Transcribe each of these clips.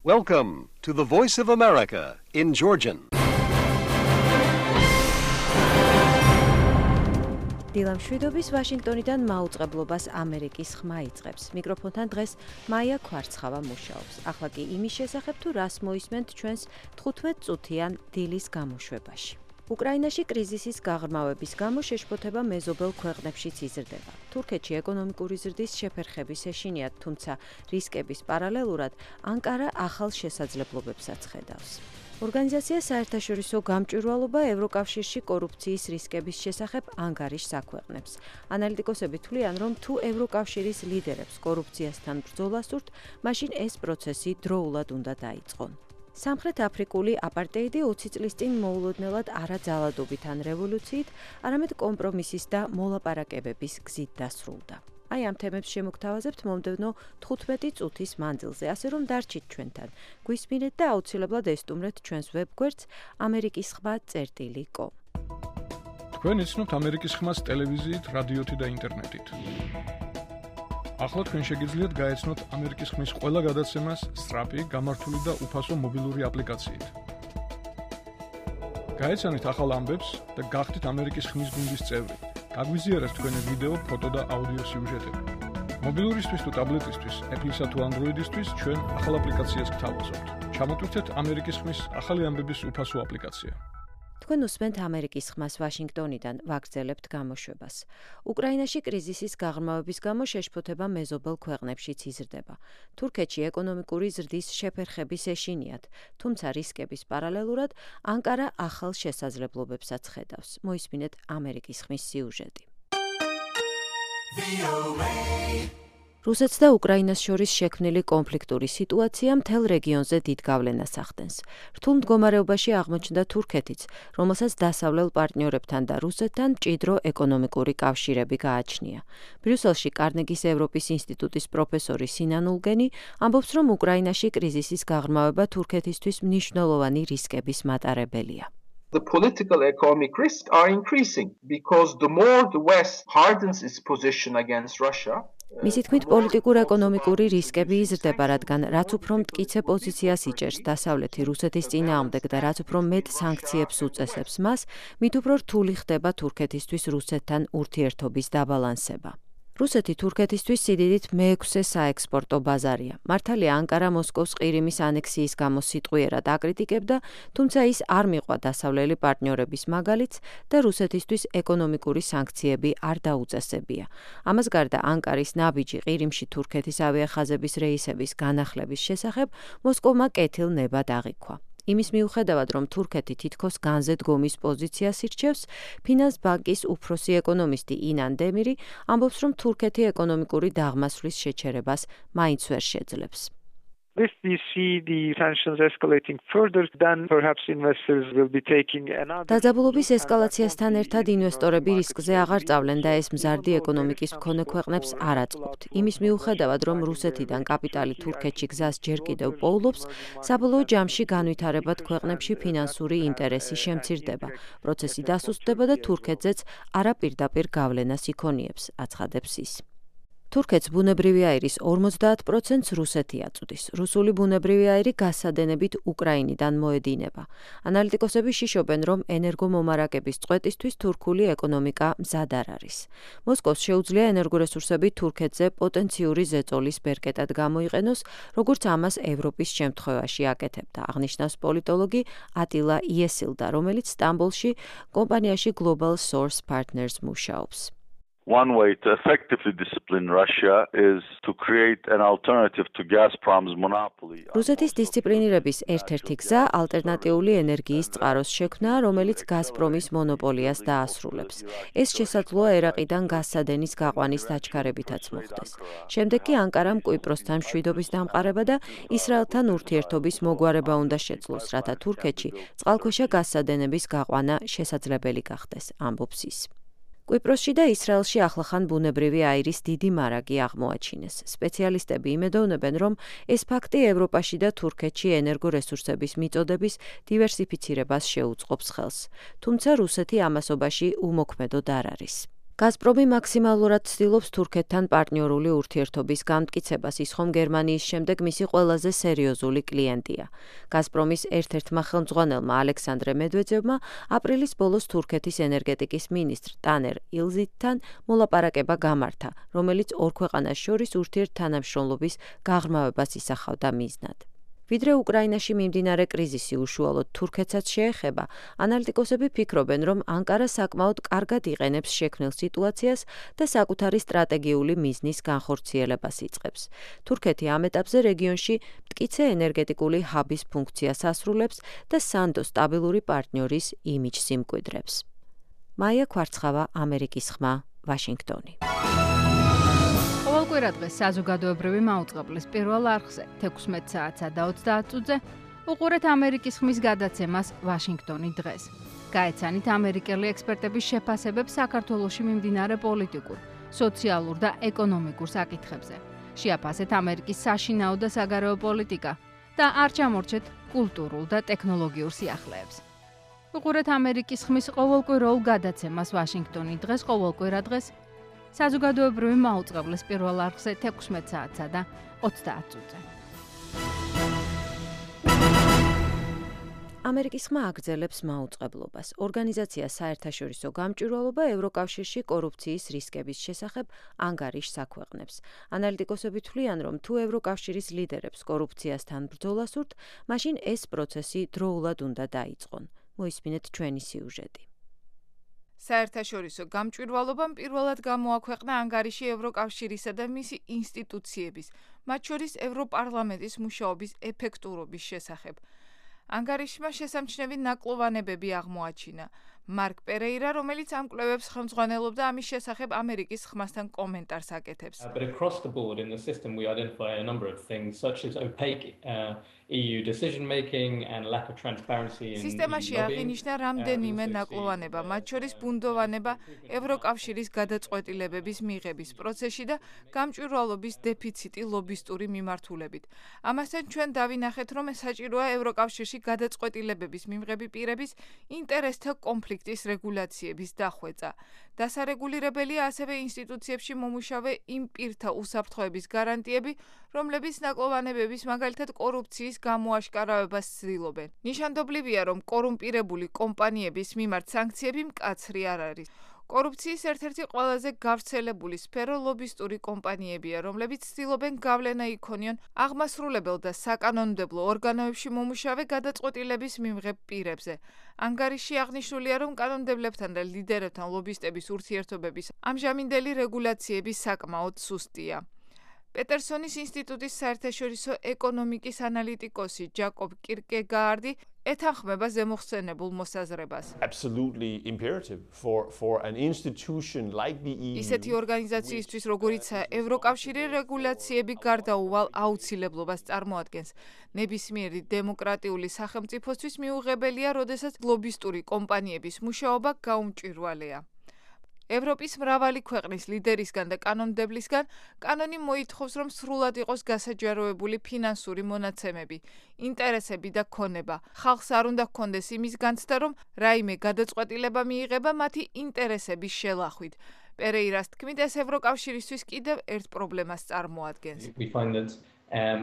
Welcome to the Voice of America in Georgian. დილამ შვიდობის ვაშინგტონიდან მაუწყებლობას ამერიკის ხმა იწყებს. მიკროფონთან დღეს მაია ქვარცხავა მუშაობს. ახლა კი იმის შესახებ თუ რას მოისმენთ ჩვენს 15 წუთიან დილის გამოშვებაში. უკრაინაში კრიზისის გაღრმავების გამო შეშფოთება მეზობელ ქვეყნებშიც იზრდება. თურქეთში ეკონომიკური ზრდის შეფერხების ეშინიათ, თუმცა რისკების პარალელურად ანკარა ახალ შესაძლებლობებსაც ხედავს. ორგანიზაცია საერთაშორისო გამჭვირვალობა ევროკავშირში კორუფციის რისკების შესახებ ანგარიშს აქვეყნებს. ანალიტიკოსები თვლიან, რომ თუ ევროკავშირის ლიდერებს კორუფციასთან ბრძოლა სურთ, მაშინ ეს პროცესი დროულად უნდა დაიწყონ. სამხრეთ აფრიკული აპარტეიდი 20 წლის წინ მოულოდნელად არაძალადობით ან რევოლუციით, არამედ კომპრომისის და მოლაპარაკებების გზით დასრულდა. აი ამ თემებს შემოგთავაზებთ მომდევნო 15 წუთის მანძილზე, ასე რომ დარჩით ჩვენთან. გვისმინეთ და აუცილებლად ესტუმრეთ ჩვენს ვებგვერდს amerikiskhma.com. თქვენ იცნობთ ამერიკის ხმას ტელევიზიით, რადიოთი და ინტერნეტით. ახლა თქვენ შეგიძლიათ გაეცნოთ ამერიკის ხმის ყველა გადაცემას სწრაფი, გამართული და უფასო მობილური აპლიკაციით. გაეცანით ახალ ამბებს და გახდით ამერიკის ხმის გუნდის წევრი. გაგვიზიარეთ თქვენი ვიდეო, ფოტო და აუდიო სიუჟეტები. მობილურისთვის თუ ტაბლეტისთვის, Apple-ისა თუ Android-ისთვის ჩვენ ახალ აპლიკაციას გთავაზობთ. ჩამოტვირთეთ ამერიკის ხმის ახალი ამბების უფასო აპლიკაცია. თქვენ უსმენთ ამერიკის ხმას ვაშინგტონიდან, ვაგრძელებთ გამოშვებას. უკრაინაში კრიზისის გაღრმავების გამო შეშფოთება მეზობელ ქვეყნებშიც იზრდება. თურქეთში ეკონომიკური ზრდის შეფერხების ეშინიათ, თუმცა რისკების პარალელურად ანკარა ახალ შესაძლებლობებსაც ხედავს. მოისმინეთ ამერიკის ხმის სიუჟეტი. რუსეთს და უკრაინას შორის შექმნილი კონფლიქტური სიტუაცია მთელ რეგიონზე დიდ გავლენას ახდენს. რთულ მდგომარეობაში აღმოჩნდა თურქეთიც, რომელსაც დასავლელ პარტნიორებთან და რუსეთთან მჭიდრო ეკონომიკური კავშირები გააჩნია. ბრიუსელში კარნეგის ევროპის ინსტიტუტის პროფესორი სინან ულგენი ამბობს, რომ უკრაინაში კრიზისის გაღრმავება თურქეთისთვის მნიშვნელოვანი რისკების მატარებელია. The political economic risks are increasing because the more the West hardens its position against Russia, მისი თქმით, პოლიტიკურ-ეკონომიკური რისკები იზრდება, რადგან რაც უფრო მტკიცე პოზიციას იჭერს დასავლეთი რუსეთის წინააღმდეგ და რაც უფრო მეტ სანქციებს უწესებს მას, მით უფრო რთული ხდება თურქეთისთვის რუსეთთან ურთიერთობის დაბალანსება. რუსეთი თურქეთისთვის სიდიდით მეექვსე საექსპორტო ბაზარია. მართალია ანკარა მოსკოვს ყირიმის ანექსიის გამო სიტყვიერად აკრიტიკებდა, თუმცა ის არ მიყვა დასავლელი პარტნიორების მაგალითს და რუსეთისთვის ეკონომიკური სანქციები არ დაუწესებია. ამას გარდა ანკარის ნაბიჯი ყირიმში თურქეთის ავიახაზების რეისების განახლების შესახებ მოსკოვმა კეთილნებად აღიქვა. იმის მიუხედავად, რომ თურქეთი თითქოს განზე დგომის პოზიციას ირჩევს, ფინანს ბანკის უფროსი ეკონომისტი ინან დემირი ამბობს, რომ თურქეთი ეკონომიკური დაღმასვლის შეჩერებას მაინც ვერ შეძლებს. If we see the sanctions escalating further, then perhaps investors will be taking another. დაძაბულობის ესკალაციასთან ერთად ინვესტორები რისკზე აღარ წავლენ და ეს მზარდი ეკონომიკის მქონე ქვეყნებს არ აწყობთ. იმის მიუხედავად, რომ რუსეთიდან კაპიტალი თურქეთში გზას ჯერ კიდევ პოულობს, საბოლოო ჯამში განვითარებად ქვეყნებში ფინანსური ინტერესი შემცირდება. პროცესი დასუსტდება და თურქეთზეც არაპირდაპირ გავლენას იქონიებს, აცხადებს ის. თურქეთს ბუნებრივი აირის 50%-ს რუსეთი აწვდის. რუსული ბუნებრივი აირი გასადენებით უკრაინიდან მოედინება. ანალიტიკოსები შიშობენ, რომ ენერგომომარაგების წყვეტისთვის თურქული ეკონომიკა მზად არ არის. მოსკოვს შეუძლია ენერგორესურსები თურქეთზე პოტენციური ზეწოლის ბერკეტად გამოიყენოს, როგორც ამას ევროპის შემთხვევაში აკეთებდა, აღნიშნავს პოლიტოლოგი ატილა იესილდა, რომელიც სტამბოლში კომპანიაში Global Source Partners მუშაობს. One way to effectively discipline Russia is to create an alternative to Gazprom's monopoly. რუსეთის დისციპლინირების ერთ-ერთი გზა ალტერნატიული ენერგიის წყაროს შექმნაა, რომელიც გაზპრომის მონოპოლიას დაასრულებს. ეს შესაძლოა ერაყიდან გაზსადენის გაყვანის დაჩქარებითაც მოხდეს. შემდეგ კი ანკარამ კვიპროსთან მშვიდობის დამყარება და ისრაელთან ურთიერთობის მოგვარება უნდა შეძლოს, რათა თურქეთში წყალქვეშა გაზსადენების გაყვანა შესაძლებელი გახდეს, ამბობს ის. კვიპროსში და ისრაელში ახლახან ბუნებრივი აირის დიდი მარაგი აღმოაჩინეს. სპეციალისტები იმედოვნებენ, რომ ეს ფაქტი ევროპაში და თურქეთში ენერგორესურსების მიწოდების დივერსიფიცირებას შეუწყობს ხელს. თუმცა რუსეთი ამასობაში უმოქმედოდ არ არის. გაზპრომი მაქსიმალურად ცდილობს თურქეთთან პარტნიორული ურთიერთობის გამტკიცებას, ის ხომ გერმანიის შემდეგ მისი ყველაზე სერიოზული კლიენტია. გაზპრომის ერთ-ერთმა ხელმძღვანელმა ალექსანდრე მედვედევმა აპრილის ბოლოს თურქეთის ენერგეტიკის მინისტრ ტანერ ილზითთან მოლაპარაკება გამართა, რომელიც ორ ქვეყანას შორის ურთიერთთანამშრომლობის გაღრმავებას ისახავდა მიზნად. ვიდრე უკრაინაში მიმდინარე კრიზისი უშუალოდ თურქეთსაც შეეხება, ანალიტიკოსები ფიქრობენ, რომ ანკარა საკმაოდ კარგად იყენებს შექმნილ სიტუაციას და საკუთარი სტრატეგიული მიზნის განხორციელებას იწყებს. თურქეთი ამ ეტაპზე რეგიონში მტკიცე ენერგეტიკული ჰაბის ფუნქციას ასრულებს და სანდო სტაბილური პარტნიორის იმიჯს იმკვიდრებს. მაია კვარცხავა, ამერიკის ხმა, ვაშინგტონი. ყოველკვირა დღეს საზოგადოებრივი მაუწყებლის პირველ არხზე 16 საათსა და 30 წუთზე უყურეთ ამერიკის ხმის გადაცემას ვაშინგტონი დღეს. გაეცანით ამერიკელი ექსპერტების შეფასებებს საქართველოში მიმდინარე პოლიტიკურ, სოციალურ და ეკონომიკურ საკითხებზე. შეაფასეთ ამერიკის საშინაო და საგარეო პოლიტიკა და არ ჩამორჩეთ კულტურულ და ტექნოლოგიურ სიახლეებს. უყურეთ ამერიკის ხმის ყოველკვირეულ გადაცემას ვაშინგტონი დღეს ყოველკვირა დღეს საზოგადოებრივი მაუწყებლის პირველ არხზე 16 საათსა და 30 წუთზე. ამერიკის ხმა აგრძელებს მაუწყებლობას. ორგანიზაცია საერთაშორისო გამჭვირვალობა ევროკავშირში კორუფციის რისკების შესახებ ანგარიშს აქვეყნებს. ანალიტიკოსები თვლიან, რომ თუ ევროკავშირის ლიდერებს კორუფციასთან ბრძოლას ურთ, მაშინ ეს პროცესი დროულად უნდა დაიწყონ. მოისმინეთ ჩვენი სიუჟეტი. საერთაშორისო გამჭვირვალობამ პირველად გამოაქვეყნა ანგარიში ევროკავშირისა და მისი ინსტიტუციების, მათ შორის ევროპარლამენტის მუშაობის ეფექტურობის შესახებ. ანგარიშმა შესამჩნევი ნაკლოვანებები აღმოაჩინა. მარკ პერეირა, რომელიც ამ კვლევებს ხელმძღვანელობდა, ამის შესახებ ამერიკის ხმასთან კომენტარს აკეთებს. But across the board in the system we identify a number of things such as opaque EU decision making and lack of transparency in სისტემაში აღინიშნა რამდენიმე ნაკლოვანება, მათ შორის ბუნდოვანება, ევროკავშირის გადაწყვეტილებების მიღების პროცესში და გამჭვირვალობის დეფიციტი ლობისტური მიმართულებით. ამასთან ჩვენ დავინახეთ, რომ საჭიროა ევროკავშირში გადაწყვეტილებების მიღები პირების ინტერესთა კონფლიქტის რეგულაციების დახვეწა. დასარეგულირებელია ასევე ინსტიტუციებში მომუშავე იმ პირთა უსაფრთხოების გარანტიები, რომლებიც ნაკლოვანებების, მაგალითად კორუფციის გამოაშკარავებას ცდილობენ. ნიშანდობლივია, რომ კორუმპირებული კომპანიების მიმართ სანქციები მკაცრი არ არის. კორუფციის ერთ-ერთი ყველაზე გავრცელებული სფერო ლობისტური კომპანიებია, რომლებიც ცდილობენ გავლენა იქონიონ აღმასრულებელ და საკანონმდებლო ორგანოებში მომუშავე გადაწყვეტილების მიმღებ პირებზე. ანგარიში აღნიშნულია, რომ კანონმდებლებთან და ლიდერებთან ლობისტების ურთიერთობების ამჟამინდელი რეგულაციები საკმაოდ სუსტია. პეტერსონის ინსტიტუტის საერთაშორისო ეკონომიკის ანალიტიკოსი ჯაკობ კირკეგაარდი ეთანხმება ზემოხსენებულ მოსაზრებას. Absolutely imperative for an institution like the EU. ისეთი ორგანიზაციისთვის, როგორიცაა ევროკავშირი, რეგულაციები გარდაუვალ აუცილებლობას წარმოადგენს. ნებისმიერი დემოკრატიული სახელმწიფოსთვის მიუღებელია, როდესაც ლობისტური კომპანიების მუშაობა გაუმჭვირვალეა. ევროპის მრავალი ქვეყნის ლიდერისგან და კანონმდებლისგან კანონი მოითხოვს, რომ სრულად იყოს გასაჯაროებული ფინანსური მონაცემები, ინტერესები და ქონება. ხალხს არ უნდა ჰქონდეს იმის განცდა, რომ რაიმე გადაწყვეტილება მიიღება მათი ინტერესების შელახვით. პერეირას თქმით, ეს ევროკავშირისთვის კიდევ ერთ პრობლემას წარმოადგენს. We find that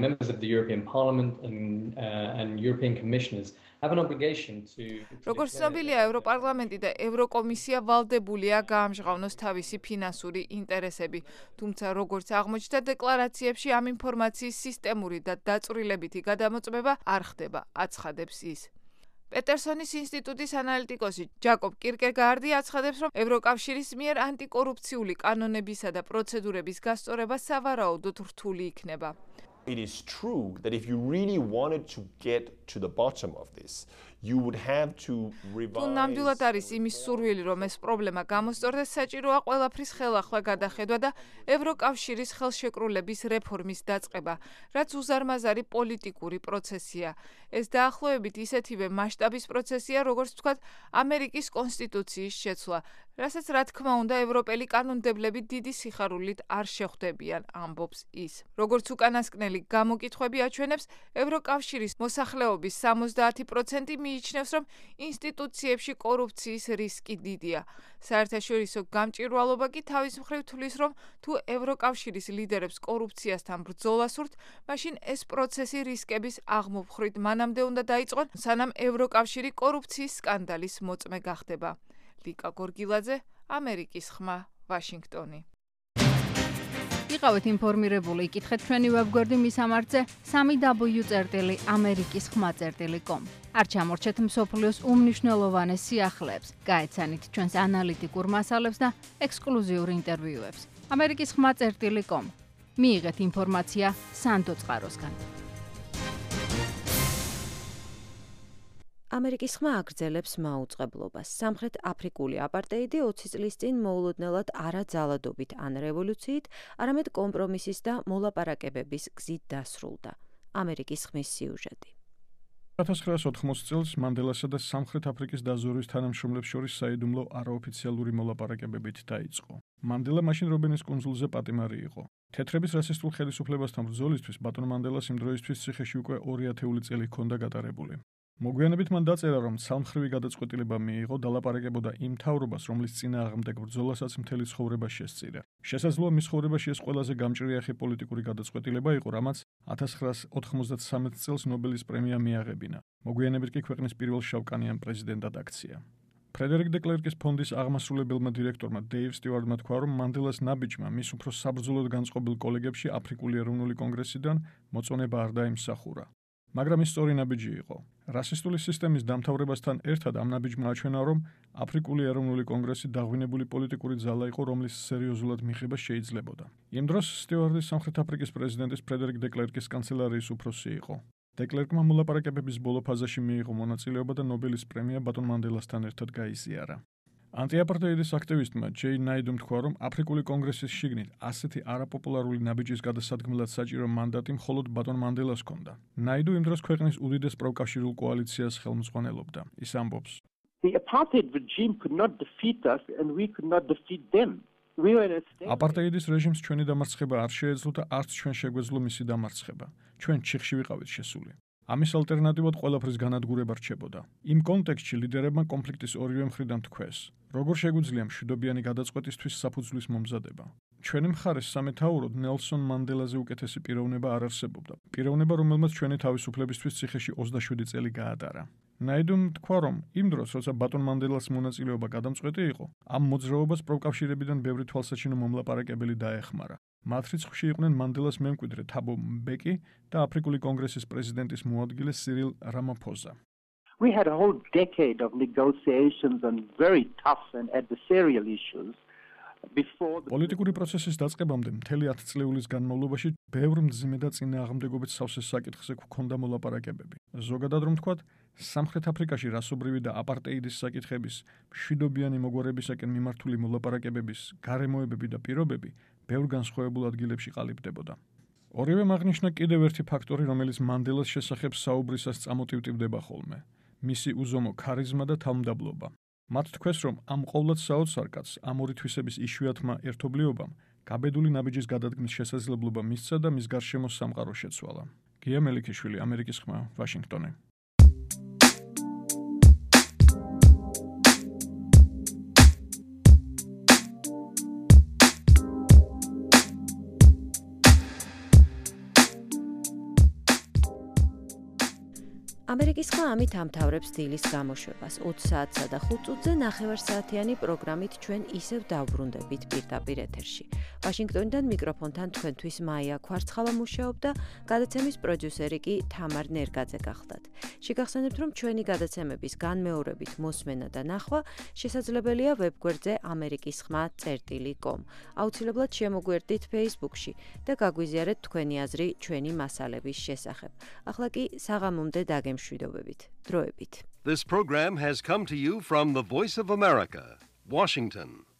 members of the European Parliament and European commissioners have an obligation to როგორც ცნობილია, ევროპარლამენტი და ევროკომისია ვალდებულია გაამჟღავნოს თავისი ფინანსური ინტერესები, თუმცა როგორც აღმოჩნდა დეკლარაციებში, ამ ინფორმაციის სისტემური და დაწვრილებითი გადამოწმება არ ხდება, აცხადებს ის. პეტერსონის ინსტიტუტის ანალიტიკოსი ჯაკობ კირკეგაარდი აცხადებს, რომ ევროკავშირის მიერ ანტიკორუფციული კანონებისა და პროცედურების გასწორება სავარაუდოდ რთული იქნება. It is true that if you really wanted to get to the bottom of this, you would have to revise. თუ ნამდვილად არის იმის სურვილი, რომ ეს პრობლემა გამოსწორდეს, საჭიროა ყველაფრის ხელახლა გადახედვა და ევროკავშირის ხელშეკრულების რეფორმის დაწყება, რაც უზარმაზარი პოლიტიკური პროცესია. ეს დაახლოებით ისეთივე მასშტაბის პროცესია, როგორც ვთქვათ, ამერიკის კონსტიტუციის შეცვლა, რასაც რა თქმა უნდა ევროპელი კანონმდებლები დიდი სიხარულით არ შეხვდებიან, ამბობს ის. როგორც უკანასკნელი გამოკითხვები აჩვენებს, ევროკავშირის მოსახლეობის 70% მიიჩნევს, რომ ინსტიტუციებში კორუფციის რისკი დიდია. საერთაშორისო გამჭვირვალობა კი თავის მხრივ თვლის, რომ თუ ევროკავშირის ლიდერებს კორუფციასთან ბრძოლა სურთ, მაშინ ეს პროცესი რისკების აღმოფხვით მანამდე უნდა დაიწყონ, სანამ ევროკავშირი კორუფციის სკანდალის მოწმე გახდება. ლიკა გორგილაძე, ამერიკის ხმა, ვაშინგტონი. იყავით ინფორმირებული, იკითხეთ ჩვენი ვებგვერდი მისამართზე 3w.amerikiskhma.com. არ ჩამორჩეთ მსოფლიოს უმნიშვნელოვანეს სიახლეებს, გაეცანით ჩვენს ანალიტიკურ მასალებს და ექსკლუზიურ ინტერვიუებს. amerikiskhma.com. მიიღეთ ინფორმაცია სანდო წყაროსგან. ამერიკის ხმა აგრძელებს მაუწყებლობას. სამხრეთ აფრიკული აპარტეიდი 20 წლის წინ მოულოდნელად არა ძალადობით ან რევოლუციით, არამედ კომპრომისის და მოლაპარაკებების გზით დასრულდა. ამერიკის ხმის სიუჟეტი. 1980 წელს მანდელასა და სამხრეთ აფრიკის დაზვერვის თანამშრომლებს შორის საიდუმლო არაოფიციალური მოლაპარაკებებით დაიწყო. მანდელა მაშინ რობენის კუნძულზე პატიმარი იყო. თეთრების რასისტულ ხელისუფლებასთან ბრძოლისთვის ბატონ მანდელას იმ დროისთვის ციხეში უკვე 2 წელი ჰქონდა გატარებული. მოგვიანებით მან დაწერა, რომ ცალმხრივი გადაწყვეტილება მიიღო და ლაპარაკებოდა იმ მთავრობას, რომლის წინააღმდეგ ბრძოლასაც მთელი ცხოვრება შესწირა. შესაძლოა მის ცხოვრებაში ეს ყველაზე გამჭრიახი პოლიტიკური გადაწყვეტილება იყო, რამაც 1993 წელს ნობელის პრემია მიაღებინა. მოგვიანებით კი ქვეყნის პირველ შავკანიან პრეზიდენტად აქცია. ფრედერიკ დე კლერკის ფონდის აღმასრულებელმა დირექტორმა დეივ სტიუარტმა თქვა, რომ მანდელას ნაბიჯმა მის უფრო საბრძოლოდ განწყობილ კოლეგებში აფრიკული ეროვნული კონგრესიდან მოწონება არ დაიმსახურა. მაგრამ ის სწორი ნაბიჯი იყო. რასისტული სისტემის დამთავრებასთან ერთად ამ ნაბიჯმა აჩვენა, რომ აფრიკული ეროვნული კონგრესი დაღვინებული პოლიტიკური ძალა იყო, რომლის სერიოზულად მიღება შეიძლებოდა. იმ დროს სტიუარტი სამხრეთ აფრიკის პრეზიდენტის ფრედერიკ დე კლერკის კანცელარიის უფროსი იყო. დე კლერკმა მოლაპარაკებების ბოლო ფაზაში მიიღო მონაწილეობა და ნობელის პრემია ბატონ მანდელასთან ერთად გაიზიარა. ანტიაპარტეიდის აქტივისტმა ჯეი ნაიდუმ თქვა, რომ აფრიკული კონგრესის შიგნით ასეთი არაპოპულარული ნაბიჯის გადასადგმელად საჭირო მანდატი მხოლოდ ბატონ მანდელას ჰქონდა. ნაიდუ იმ დროს ქვეყნის უდიდეს პროკავშირულ კოალიციას ხელმძღვანელობდა. ის ამბობს: The apartheid regime could not defeat us and we could not defeat them. აპარტეიდის რეჟიმს ჩვენი დამარცხება არ შეეძლო და არც ჩვენ შეგვეძლო მისი დამარცხება. ჩვენ ჩიხში ვიყავით შესული. ამის ალტერნატივად ყველაფრის განადგურება რჩებოდა. იმ კონტექსტში ლიდერებმა კონფლიქტის ორივე მხრიდან თქვეს, როგორ შეგვიძლია მშვიდობიანი გადაწყვეტისთვის საფუძვლის მომზადება. ჩვენი მხარეს სამეთაუროდ ნელსონ მანდელაზე უკეთესი პიროვნება არ არსებობდა. პიროვნება, რომელმაც ჩვენი თავისუფლებისთვის ციხეში 27 წელი გაატარა. ნაიდუმ თქვა, რომ იმ დროს, როცა ბატონ მანდელას მონაწილეობა გადამწყვეტი იყო, ამ მოძრაობას პროკავშირებიდან ბევრი თვალსაჩინო მომლაპარაკებელი დაეხმარა. მათ რიცხვში იყვნენ მანდელას მემკვიდრე თაბო მბეკი და აფრიკული კონგრესის პრეზიდენტის მოადგილე სირილ რამაფოზა. We had a whole decade of negotiations on very tough and adversarial issues. პოლიტიკური პროცესის დაწყებამდე მთელი 10 წლეულის განმავლობაში ბევრ მძიმე და წინააღმდეგობით სავსე საკითხზე გვქონდა მოლაპარაკებები. ზოგადად რომ ვთქვათ, სამხრეთ აფრიკაში რასობრივი და აპარტეიდის საკითხების მშვიდობიანი მოგვარებისაკენ მიმართული მოლაპარაკებების გარემოებები და პირობები ბევრ განსხვავებულ ადგილებში ყალიბდებოდა. ორივე აღნიშნა კიდევ ერთი ფაქტორი, რომელიც მანდელას შესახებ საუბრისას წამოტივტივდება ხოლმე. მისი უზომო ქარიზმა და თავმდაბლობა. მათ თქვეს, რომ ამ ყოვლად საოცარ კაცს ამ ორი თვისების იშვიათმა ერთობლიობამ გაბედული ნაბიჯის გადადგმის შესაძლებლობა მისცა და მის გარშემო სამყარო შეცვალა. გია მელიქიშვილი, ამერიკის ხმა, ვაშინგტონი. ამერიკის ხმა ამით ამთავრებს დილის გამოშვებას. 20 საათსა და 5 წუთზე ნახევარსაათიანი პროგრამით ჩვენ ისევ დავბრუნდებით პირდაპირ ეთერში. ვაშინგტონიდან მიკროფონთან თქვენთვის მაია ქვარცხავა მუშაობდა, გადაცემის პროდიუსერი კი თამარ ნერგაძე გახლდათ. შეგახსენებთ, რომ ჩვენი გადაცემების განმეორებით მოსმენა და ნახვა შესაძლებელია ვებგვერდზე amerikiskhma.com. აუცილებლად შემოგვერდით Facebook-ში და გაგვიზიარეთ თქვენი აზრი ჩვენი მასალების შესახებ. ახლა კი საღამომდე დაგემშვიდობებით. დროებით. This program has come to you from the Voice of America, Washington.